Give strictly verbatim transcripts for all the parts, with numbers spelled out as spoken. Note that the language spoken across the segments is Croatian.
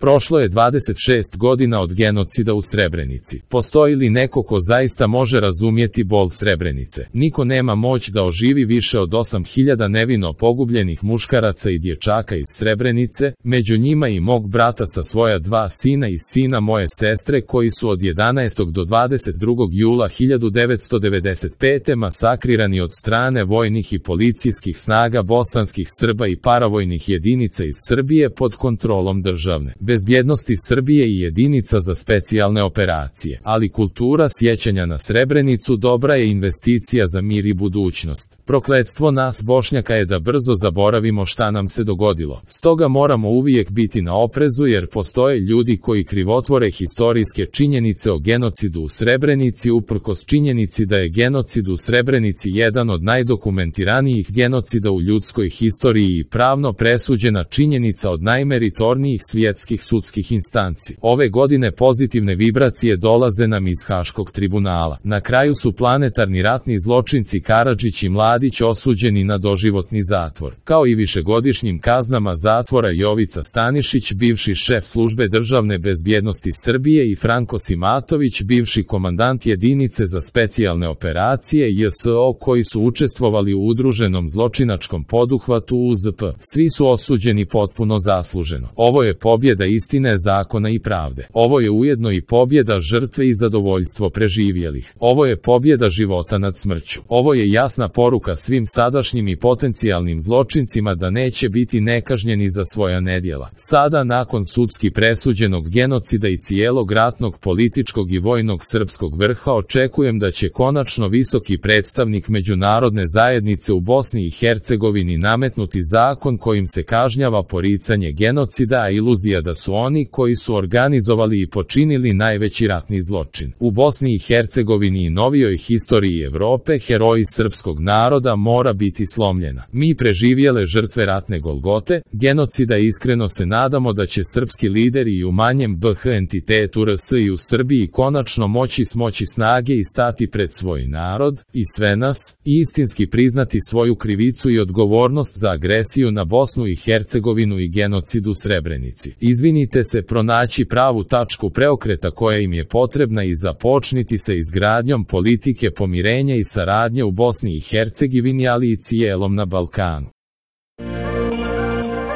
Prošlo je dvadeset šest godina od genocida u Srebrenici. Postoji li neko ko zaista može razumjeti bol Srebrenice? Niko nema moć da oživi više od osam hiljada nevino pogubljenih muškaraca i dječaka iz Srebrenice, među njima i mog brata sa svoja dva sina i sina moje sestre koji su od jedanaestog do dvadeset drugog jula hiljadu devetsto devedeset pete masakrirani od strane vojnih i policijskih snaga bosanskih Srba i paravojnih jedinica iz Srbije pod kontrolom državne bezbjednosti Srbije i jedinica za specijalne operacije. Ali kultura sjećanja na Srebrenicu dobra je investicija za mir i budućnost. Prokletstvo nas Bošnjaka je da brzo zaboravimo šta nam se dogodilo. Stoga moramo uvijek biti na oprezu jer postoje ljudi koji krivotvore historijske činjenice o genocidu u Srebrenici uprkos činjenici da je genocid u Srebrenici jedan od najdokumentiranijih genocida u ljudskoj historiji i pravno presuđena činjenica od najmeritornijih svjetskih sudskih instanci. Ove godine pozitivne vibracije dolaze nam iz Haškog tribunala. Na kraju su planetarni ratni zločinci Karadžić i Mladić osuđeni na doživotni zatvor. Kao i višegodišnjim kaznama zatvora Jovica Stanišić, bivši šef službe državne bezbjednosti Srbije i Franko Simatović, bivši komandant jedinice za specijalne operacije J S O koji su učestvovali u udruženom zločinačkom poduhvatu U Z P. Svi su osuđeni potpuno zasluženo. Ovo je pobjeda istine, zakona i pravde. Ovo je ujedno i pobjeda žrtve i zadovoljstvo preživjelih. Ovo je pobjeda života nad smrću. Ovo je jasna poruka svim sadašnjim i potencijalnim zločincima da neće biti nekažnjeni za svoja nedjela. Sada, nakon sudski presuđenog genocida i cijelog ratnog, političkog i vojnog srpskog vrha, očekujem da će konačno visoki predstavnik međunarodne zajednice u Bosni i Hercegovini nametnuti zakon kojim se kažnjava poricanje genocida, a iluzija da su oni koji su organizovali i počinili najveći ratni zločin u Bosni i Hercegovini i novijoj historiji Evrope, heroji srpskog naroda, mora biti slomljena. Mi preživjele žrtve ratne golgote, genocida, iskreno se nadamo da će srpski lideri i u manjem B H entitetu R S i u Srbiji konačno moći smoći snage i stati pred svoj narod i sve nas i istinski priznati svoju krivicu i odgovornost za agresiju na Bosnu i Hercegovinu i genocid u Srebrenici. Izvinite se, pronaći pravu tačku preokreta koja im je potrebna i započniti se izgradnjom politike pomirenja i saradnje u Bosni i Hercegovini, ali i cijelom na Balkanu.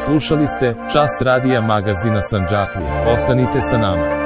Slušali ste Čas radija magazina Sandžaklija. Ostanite sa nama.